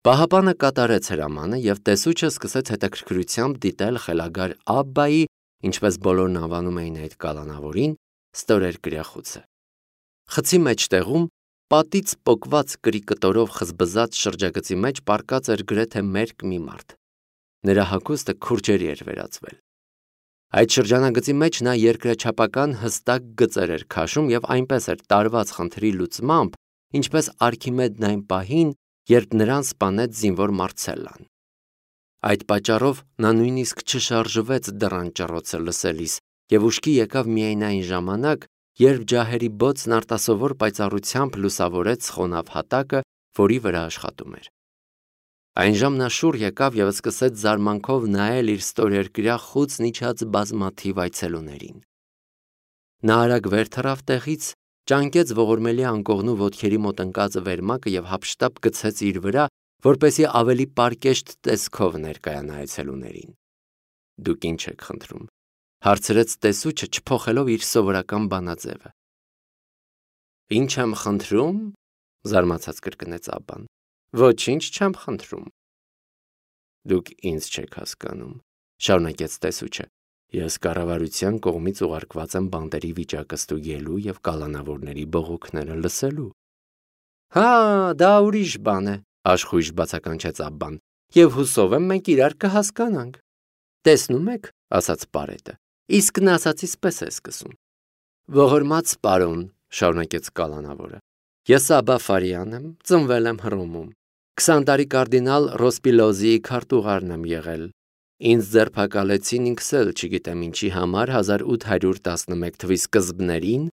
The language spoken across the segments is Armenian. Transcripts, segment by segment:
Պահապանը կատարեց հրամանը և տեսուչը սկսեց հետաքրքրությամբ դիտել խելագար Աբբայի, ինչպես բոլորն անվանում էին այդ կալանավորին, ստորերկրյա խուցը։ Խցի մեջտեղում պատից պոկված կրիկտորով խզբզած շրջագծի մեջ պառկած էր գրեթե մերկ մի մարդ։ Նրա հագուստը քուրջերի էր վերածվել։ Այդ շրջանագծի մեջ նա երկրաչափական հստակ գծեր էր քաշում և այնպես էր տարված խնդրի լուծմամբ, ինչպես Արքիմեդն այն պահին, երբ նրան սպանեց զինվոր Մարցելլան։ Այդ պատճառով նա նույնիսկ չշարժվեց դռան ճռոցը լսելիս և ուշքի եկավ միայն այն ժամանակ, երբ ջահերի բոցն արտասովոր պայծառությամբ լուսավորեց խոնավ հատակը, որի վրա աշխատում էր։ Այն ժամ նա շուռ եկավ և սկսեց զարմանքով նայել իր ստորերկրյա խուցն իջած բազմաթիվ այցելուներին։ Նա արագ վեր թռավ տեղից, ճանկեց ողորմելի անկողնու ոտքերի մոտ ընկած վերմակը և հափշտապ գցեց իր վրա, որպեսզի ավելի պարկեշտ տեսքով ներկայանա այցելուներին։ Դուք ինչ եք խնդրում, հարցրեց տեսուչը, չփոխելով իր սովորական բանաձևը։ Ինչ եմ խնդրում, զարմացած կրկնեց Աբբան։ Ոչինչ չեմ խնդրում։ Դուք ինձ չեք հասկանում, շարունակեց տեսուչը։ Ես կառավարության կողմից ուղարկված եմ բանտերի վիճակը ստուգելու և կալանավորների բողոքները լսելու։ Հա, դա ուրիշ բան է, աշխույժ բացականչեց Աբբան, և հուսով եմ մենք իրար կհասկանանք։ Տեսնում եք, ասաց Պարետը, իսկ նա ասածից պես է սկսում։ Ողորմած պարոն, շարունակեց կալանավորը, ես Աբբա Ֆարիան եմ, ծնվել եմ Հռոմում, 20 տարի կարդինալ Ռոսպիլոզիի քարտուղարն եմ եղել։ Ինձ ձերբակալեցին ինքս էլ չգիտեմ ինչի համար 1811 թվի սկզբներին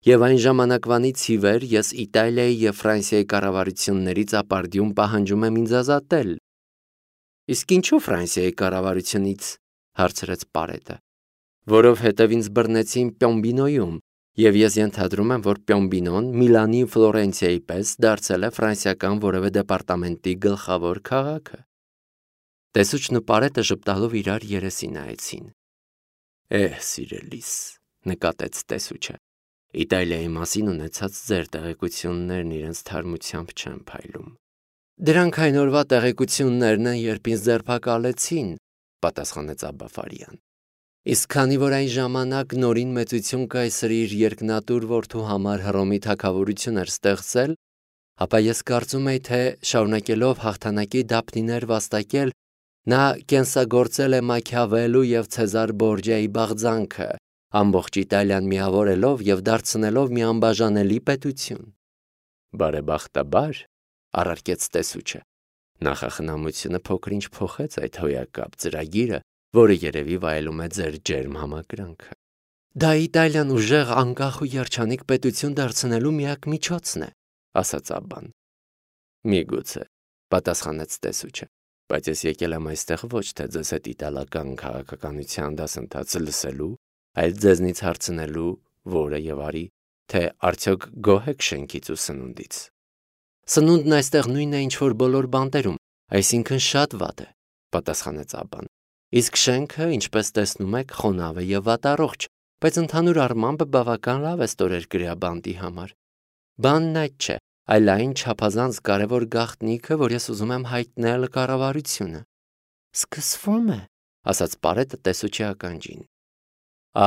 և այն ժամանակվանից ի վեր ես Իտալիայի և Ֆրանսիայի կառավարություններից ապարդյուն պահանջում եմ ինձ ազատել։ Իսկ ինչու Ֆրանսիայի կառավարությունից, հարցրեց Պարետը։ Որովհետև ինձ բռնեցին Պյոմբինոյում, և ես ենթադրում եմ, որ Պյոմբինոն Միլանի ու Ֆլորենցիայի պես դարձել է ֆրանսիական որևէ դեպարտամենտի գլխավոր քաղաքը։ Տեսուչն ու Պարետը ժպտալով իրար երեսի նայեցին։ Սիրելիս, նկատեց տեսուչը, Իտալիայի մասին ունեցած ձեր տեղեկություններն իրենց թարմությամբ չեն փայլում։ Դրանք այն օրվա տեղեկություններն են, երբ ինձ ձերբակալեցին, պատասխանեց Աբբա Ֆարիան։ Իսկ քանի որ այն ժամանակ նորին մեծություն կայսրի իր երկնատուր որդու համար Հռոմի թագավորություն էր ստեղծել, ապա ես կարծում եի, թե շարունակելով հաղթանակի դափնիներ վաստակել, նա կենսագործել է Մաքիավելլու և Ցեզար Բորջիայի բաղձանքը, ամբողջ Իտալիան միավորելով և դարձնելով մի անբաժանելի պետություն։ Բարեբախտաբար, առարկեց տեսուչը, նախախնամությունը փոքր-ինչ փոխեց այդ հոյակապ ծրագիրը, որը երևի վայելում է ձեր ջերմ համակրանքը։ Դա Իտալիան ուժեղ, անկախ ու երջանիկ պետություն դարձնելու միակ միջոցն է, ասաց Աբբան։ Միգուցե, պատասխանեց տեսուչը, բայց ես եկել եմ այստեղ ոչ թե ձեզ հետ իտալական քաղաքականության դասընթացը լսելու, այլ ձեզնից հարցնելու, որը եւ արի, թե արդյոք գոհ եք շենքից ու սնունդից։ Սնունդն այստեղ նույնն է, ինչ որ բոլոր բանտերում, այսինքն շատ վատ է, պատասխանեց Աբբան։ Իսկ շենքը, ինչպես տեսնում եք, խոնավ է եւ վատառողջ, բայց ընդհանուր առմամբ բավական լավ է ստորերկրյա բանտի համար։ Բանն այդ չէ, այլ այն չափազանց կարևոր գաղտնիքը, որ ես ուզում եմ հայտնել կառավարությունը։ Սկսվում է, ասաց Պարետը տեսուչի ականջին։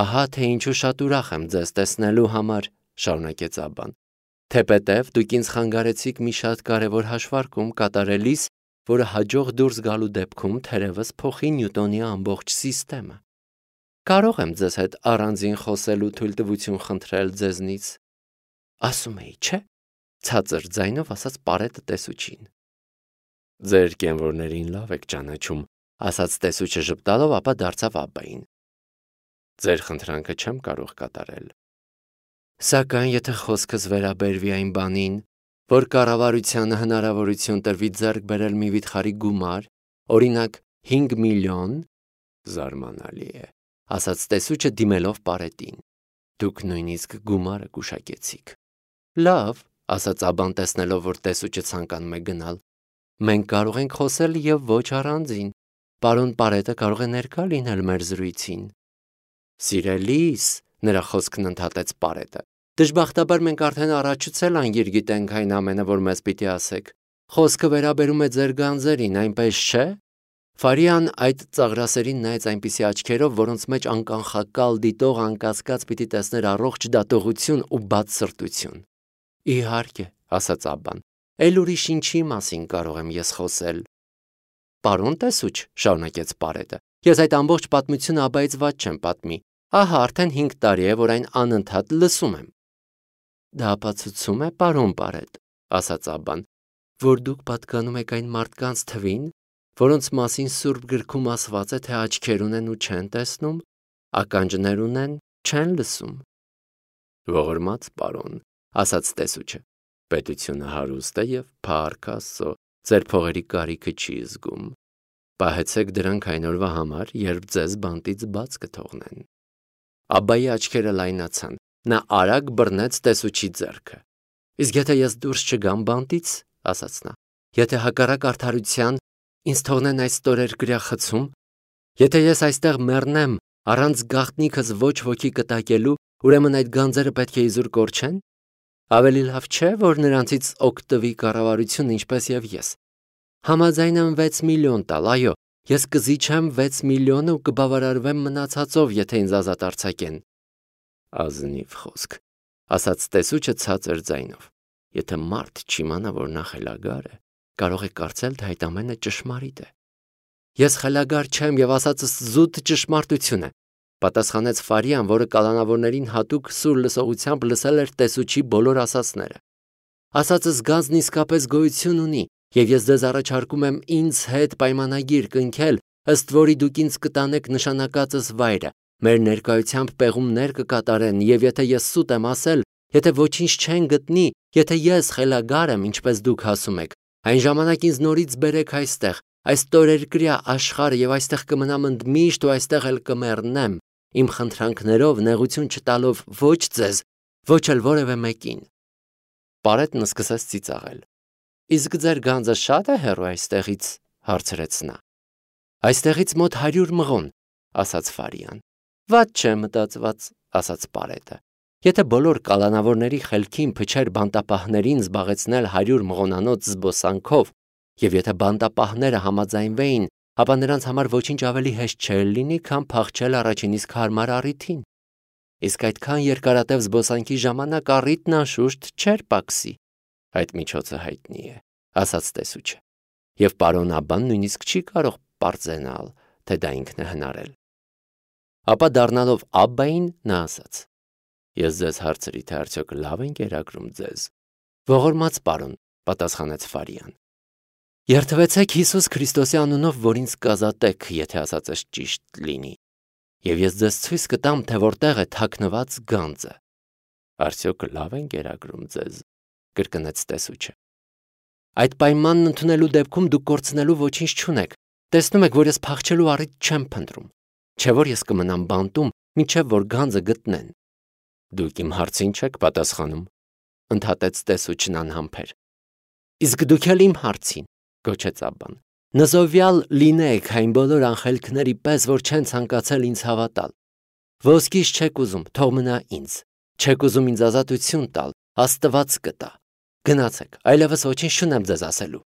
Ահա թե ինչու շատ ուրախ եմ ձեզ տեսնելու համար, շարունակեց Աբբան։ Թեպետև դուք ինձ խանգարեցիք մի շատ կարևոր հաշվարկում կատարելիս, որը հաջող դուրս գալու դեպքում թերևս փոխի Նյուտոնի ամբողջ սիստեմը։ Կարող եմ ձեզ հետ առանձին խոսելու թույլտվություն խնդրել ձեզնից։ Ասում էի, չէ՞, ցածր ձայնով ասաց Պարետը տեսուչին։ Ձեր կենվորներին լավ եք ճանաչում, ասաց տեսուչը ժպտալով, ապա դարձավ Աբբային։ Ձեր խնդրանքը չեմ կարող կատարել։ Սակայն եթե խոսքս վերաբերվի այն բանին, որ կառավարությանը հնարավորություն տրվի ձեռք բերել մի վիթխարի գումար, օրինակ 5 միլիոն, զարմանալի է, ասաց տեսուչը դիմելով Պարետին։ Դուք նույնիսկ գումարը գուշակեցիք։ Լավ, ասաց Աբբան տեսնելով, որ տեսուչը ցանկանում է գնալ։ Մենք կարող ենք խոսել եւ ոչ առանձին։ Պարոն Պարետը կարող է ներկա լինել մեր զրույցին։ Սիրելիս, նրա խոսքն ընդհատեց Պարետը։ Դժբախտաբար մենք արդեն առաջուց էլ անգիր գիտենք այն ամենը, որ մեզ պիտի ասեք։ խոսքը վերաբերում է ձեր գանձերին, այնպես չէ։ Ֆարիան այդ ծաղրասերին նայեց այնպիսի աչքերով, որոնց մեջ անկանխակալ դիտող անկասկած պիտի տեսներ առողջ դատողություն ու բաց սրտություն։ Իհարկե, ասաց Աբբան, էլ ուրիշ ինչի մասին կարող եմ ես խոսել։ Պարոն տեսուչ, շարունակեց Պարետը, ես այդ ամբողջ պատմությունը Աբբայից ված չեմ պատմի։ Ահա արդեն 5 տարի է, որ այն անընդհատ լսում եմ։ Դա ապացուցում է, պարոն Պարետ, ասաց Աբբան, որ դուք պատկանում եք այն մարդկանց թվին, որոնց մասին Սուրբ գրքում ասված է, թե աչքեր ունեն ու չեն տեսնում, ականջներ ունեն, չեն լսում։ Ողորմած պարոն, ասաց տեսուչը, պետությունը հարուստ է և փառք Աստծո, ձեր փողերի կարիքը չի զգում։ Պահեցեք դրանք այն օրվա համար, երբ ձեզ բանտից բաց կթողնեն։ Աբբայի աչքերը լայնացան, նա արագ բռնեց տեսուչի ձեռքը։ Իսկ եթե ես դուրս չգամ բանտից, ասաց նա, եթե հակառակ արդարության ինձ թողնեն այս ստորերկրյա խցում, եթե ես այստեղ մեռնեմ առանց գաղտնիքս ոչ ոքի կտակելու, ուրեմն այդ գանձերը պետք է իզուր կորչեն։ Ավելի լավ չէ, որ նրանցից օգտվի կառավարությունը ինչպես եւ ես։ Համաձայն եմ 6 միլիոն տալ, այո, ես կզիջեմ 6 միլիոնը ու կբավարարվեմ մնացածով, եթե ինձ ազատ արձակեն։ Ազնիվ խոսք, ասաց տեսուչը ցածր ձայնով։ Եթե մարդ չիմանա, որ նա խելագար է, կարող է կարծել, թե այդ ամենը ճշմարիտ է։ Ես խելագար չեմ եւ ասածս զուտ ճշմարտություն է, պատասխանեց Ֆարիան, որը կալանավորներին հատուկ սուր լսողությամբ լսել էր տեսուչի բոլոր ասածները։ Ասածս գանձն իսկապես գոյություն ունի, եւ ես ձեզ առաջարկում եմ ինձ հետ պայմանագիր կնքել, ըստ որի դուք ինձ կտանեք նշանակածս վայրը, մեր ներկայությամբ պեղումներ կկատարեն, եւ եթե ես սուտ եմ ասել, եթե ոչինչ չեն գտնի, եթե ես խելագար եմ, ինչպես դուք ասում եք, այն ժամանակ ինձ նորից բերեք այստեղ, այս ստորերկրյա աշխարհը եւ այստեղ կմնամ ընդմիշտ ու այստեղ էլ կմեռնեմ, իմ խնդրանքներով նեղություն չտալով ոչ ձեզ, ոչ էլ որևէ մեկին։ Պարետն սկսեց ծիծաղել։ Իսկ ձեր գանձը շատ է հեռու այստեղից, հարցրեց նա։ Այստեղից մոտ 100 մղոն, ասաց Ֆարիան։ Ված չէ մտածված, ասաց Պարետը։ Եթե բոլոր կալանավորների խելքին փչեր բանտապահներին զբաղեցնել 100 մղոնանոց զբոսանքով, եւ եթե բանտապահները համաձայնվեին, ապա նրանց համար ոչինչ ավելի հեշտ չէր լինի, քան փախչել առաջին իսկ հարմար առիթին։ Իսկ այդքան երկարատև զբոսանքի ժամանակ առիթն անշուշտ չէր պակսի։ Այդ միջոցը հայտնի է, ասաց տեսուչը։ Եվ պարոն Աբբան նույնիսկ չի կարող պարզենալ, թե դա ինքն է հնարել։ Ապա դառնալով Աբբային, նա ասաց. Ես ձեզ հարցրի, թե արդյոք լավ են կերակրում ձեզ։ Ողորմած պարոն, պատասխանեց Ֆարիան։ Երթվեցեք Հիսուս Քրիստոսի անունով, որ ինձ կազատեք, եթե ասածս ճիշտ լինի։ Եվ ես ձեզ ցույց կտամ, թե որտեղ է թաքնված գանձը։ Արդյոք լավ են կերակրում ձեզ, կրկնեց տեսուչը։ Այդ պայմանն ընդունելու դեպքում դուք կորցնելու ոչինչ չունեք։ Տեսնում եք, որ ես փախչելու առիթ չեմ փնտրում։ Չէ՞ որ ես կմնամ բանտում, մինչև որ գանձը գտնեն։ Դուք իմ հարցին չեք պատասխանում, ընդհատեց տեսուչն անհամբեր։ Իսկ դուք էլ իմ հարցին, գոչեց Աբբան։ Նզովյալ լինեք այն բոլոր անխելքների պես, որ չեն ցանկացել ինձ հավատալ։ Ոսկիս չեք ուզում, թող մնա ինձ։ Չեք ուզում ինձ ազատություն տալ, Աստված կտա։ Գնացեք, այլևս ոչինչ չունեմ ձեզ ասելու։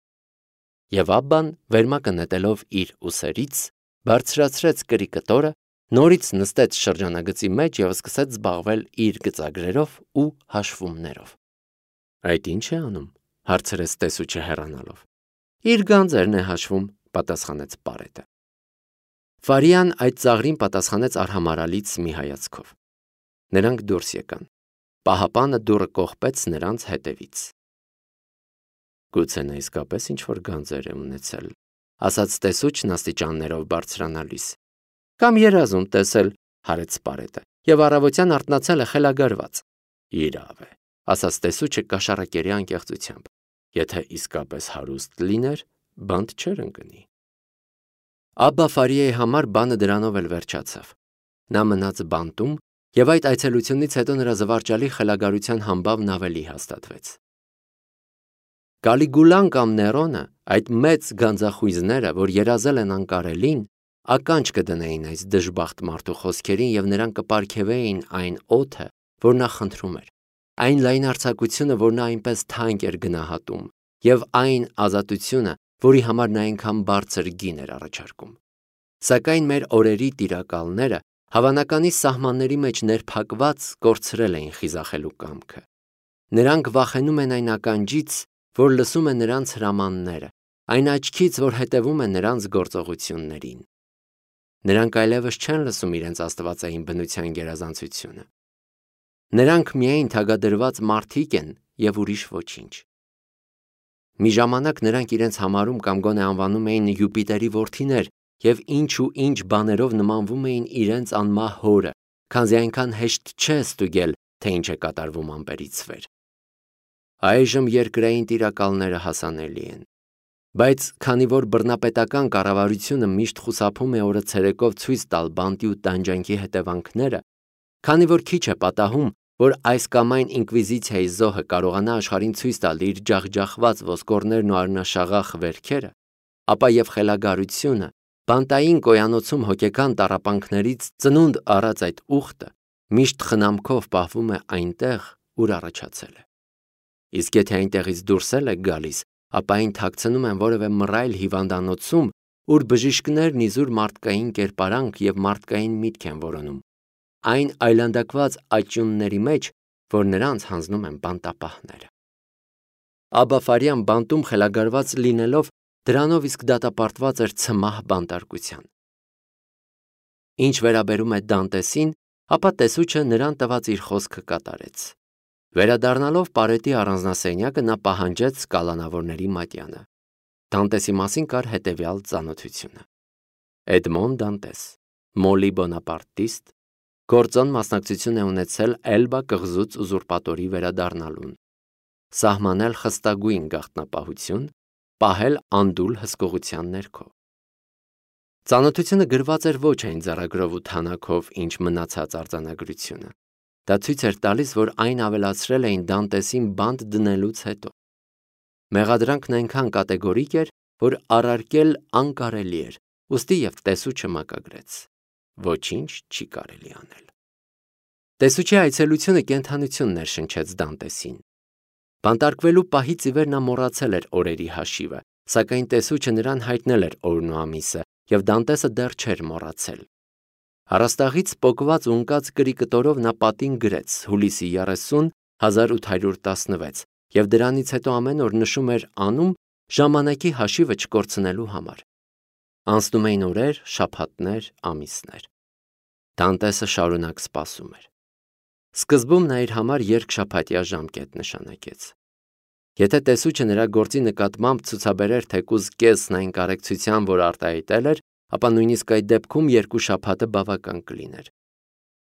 Եվ Աբբան, վերմակը նետելով իր ուսերից, բարձրացրեց կրի կտորը, նորից նստեց շրջանագծի մեջ եւ սկսեց զբաղվել իր գծագրերով ու հաշվումներով։ Այդ ի՞նչ է անում, հարցրեց տեսուչը հեռանալով։ Իր գանձերն է հաշվում, պատասխանեց Պարետը։ Ֆարիան այդ ծաղրին պատասխանեց արհամարալից մի հայացքով։ Նրանք դուրս եկան։ Պահապանը դուռը կողպեց նրանց հետևից։ Գուցե նա իսկապես ինչ-որ գանձեր է ունեցել, ասաց տեսուչն աստիճաններով բարձրանալիս։ Կամ երազում տեսել, հարեց Պարետը, եւ առավոտյան արթնացել է խելագարված։ Իրավ է, ասաց տեսուչը կաշառակերի անկեղծությամբ։ Եթե իսկապես հարուստ լիներ, բանտ չէր ընկնի։ Աբբա Ֆարիայի համար բանը դրանով էլ վերջացավ։ Նա մնաց բանտում, եւ այդ այցելությունից հետո նրա զվարճալի խելագարության համբավն ավելի հաստատվեց։ Կալիգուլան կամ Ներոնը, այդ մեծ գանձախույզները, որ երազել են անկարելին, ականջ կդնեին այս դժբախտ մարդու խոսքերին եւ նրան կպարգևեին այն օդը, որ նա խնդրում էր, այն լայնարձակությունը, որ նա այնպես թանկ էր գնահատում, եւ այն ազատությունը, որի համար նա այնքան բարձր գին էր առաջարկում։ Սակայն մեր օրերի տիրակալները հավանականի սահմանների մեջ ներփակված կորցրել էին խիզախելու կամքը։ Նրանք վախենում են այն ականջից, որ լսում է նրանց հրամանները, այն աչքից, որ հետևում է նրանց գործողություններին։ Նրանք այլևս չեն լսում իրենց աստվածային բնության գերազանցությունը։ Նրանք միայն թագադրված մարդիկ են եւ ուրիշ ոչինչ։ Մի ժամանակ նրանք իրենց համարում կամ գոնե անվանում էին Յուպիտերի որդիներ եւ ինչ բաներով նմանվում էին իրենց անմահ հորը, քանզի այնքան հեշտ չէ ստուգել, թե ինչ է կատարվում ամպերից վեր։ Այժմ երկրային տիրակալները հասանելի են, բայց քանի որ բռնապետական կառավարությունը միշտ խուսափում է օրը ցերեկով ցույց տալ բանտի ու տանջանքի հետևանքները, քանի որ քիչ է պատահում, որ այս կամ այն ինկվիզիցիայի զոհը կարողանա աշխարհին ցույց տալ իր ջախջախված ոսկորներն ու արնաշաղախ վերքերը, ապա եւ խելագարությունը բանտային կոյանոցում հոգեկան տառապանքներից ծնունդ առած այդ ուխտը միշտ խնամքով պահվում է այնտեղ, ուր առաջացել է։ Իսկ եթե այնտեղից դուրս է գալիս, ապա այն թաքցնում են որևէ մռայլ հիվանդանոցում, ուր բժիշկներն իզուր մարդկային կերպարանք եւ մարդկային միտք են որոնում, այն այլանդակված աճյունների մեջ, որ նրանց հանձնում են բանտապահները։ Աբաֆարյան բանտում խելագարված լինելով, դրանով իսկ դատապարտված էր ցմահ բանտարկության։ Ինչ վերաբերում է Դանտեսին, ապա տեսուչը նրան տված իր խոսքը կատարեց։ Վերադառնալով Պարետի առանձնասենյակը նա պահանջեց կալանավորների մատյանը։ Դանտեսի մասին կար հետևյալ ծանոթությունը. Էդմոն Դանտես, Մոլի Բոնապարտիստ, գործոն մասնակցություն է ունեցել Էլբա կղզուց ուզուրպատորի վերադառնալուն, սահմանել խստագույն գաղտնապահություն, պահել անդուլ հսկողության ներքո։ Ծանոթությունը գրված էր ոչ այն ձեռագրով ու թանաքով, ինչ մնացած արձանագրությունը։ Դա ցույց էր տալիս, որ այն ավելացրել էին Դանտեսին բանտ դնելուց հետո։ Մեղադրանքն այնքան կատեգորիկ էր, որ առարկել անկարելի էր, ուստի եւ տեսուչը մակագրեց։ Ոչինչ չի կարելի անել։ Տեսուչի այցելությունը կենդանություն ներշնչեց Դանտեսին։ Բանտարկվելու պահից ի վեր նա մոռացել էր օրերի հաշիվը, սակայն տեսուչը նրան հայտնել էր օրն ու ամիսը, եւ Դանտեսը դեռ չէր մոռացել։ Առաստաղից պոկված ու ընկած կրի կտորով նա պատին գրեց հուլիսի 30 1816 եւ դրանից հետո ամեն օր նշում էր անում ժամանակի հաշիվը չկորցնելու համար։ Անցնում էին օրեր, շաբաթներ, ամիսներ։ Դանտեսը շարունակ սպասում էր։ Սկզբում նա իր համար երկշաբաթյա ժամկետ նշանակեց։ Եթե տեսուչը նրա գործի նկատմամբ ցուցաբերեր թեկուզ կեսն այն կարեկցության, որ արտահայտել էր, ապա նույնիսկ այդ դեպքում 2 շաբաթը բավական կլիներ։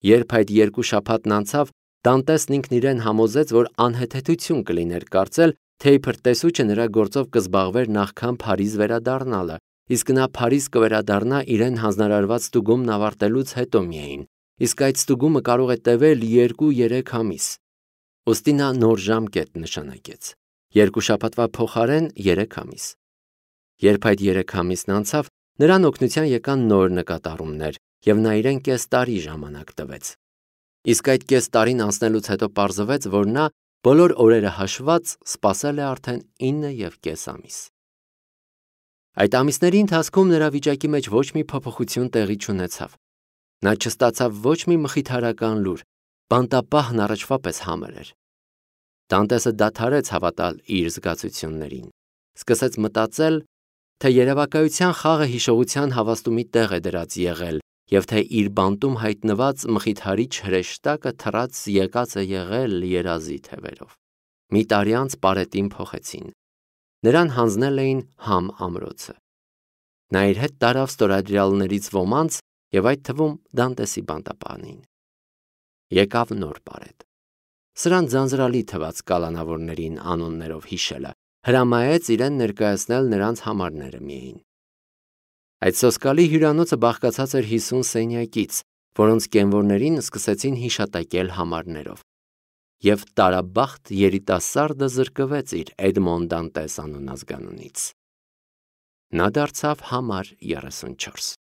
Երբ այդ 2 շաբաթն անցավ, Դանտեսն ինքն իրեն համոզեց, որ անհեթեթություն կլիներ կարծել, թե իբր տեսուչը նրա գործով կզբաղվեր նախքան Փարիզ վերադառնալը, իսկ նա Փարիզ կվերադառնա իրեն հանձնարարված ստուգումն ավարտելուց հետո միայն, իսկ այդ ստուգումը կարող է տևել 2-3 ամիս։ Ոստի նա նոր ժամկետ նշանակեց։ 2 շաբաթվա փոխարեն 3 ամիս։ Երբ այդ 3 ամիսն անցավ, նրան օգնության եկան նոր նկատառումներ, եւ նա իրեն կես տարի ժամանակ տվեց։ Իսկ այդ կես տարին անցնելուց հետո պարզվեց, որ նա բոլոր օրերը հաշված սպասել է արդեն 9.5 ամիս։ Այդ ամիսների ընթացքում նրա վիճակի մեջ ոչ մի փոփոխություն տեղի չունեցավ։ Նա չստացավ ոչ մի մխիթարական լուր, բանտապահն առաջվա պես համր էր։ Դանտեսը դադարեց հավատալ իր զգացություններին, սկսեց մտածել, թե երևակայության խաղը հիշողության հավաստումի տեղ է դրած եղել, եւ թե իր բանտում հայտնված մխիթարիչ հրեշտակը թռած եկած է եղել երազի թևերով։ Մի տարի անց Պարետին փոխեցին։ Նրան հանձնել էին Համ ամրոցը։ Նա իր հետ տարավ ստորադրյալներից ոմանց եւ այդ թվում Դանտեսի բանտապահին։ Եկավ նոր Պարետ։ Սրան ձանձրալի թված կալանավորներին անուններով հիշելը, հրամայեց իրեն ներկայացնել նրանց համարները միայն։ Այդ սոսկալի հյուրանոցը բաղկացած էր 50 սենյակից, որոնց կենվորներին սկսեցին հիշատակել համարներով։ Եվ տարաբախտ երիտասարդը զրկվեց իր Էդմոն Դանտես անուն ազգանունից։ Նա դարձավ համար 34։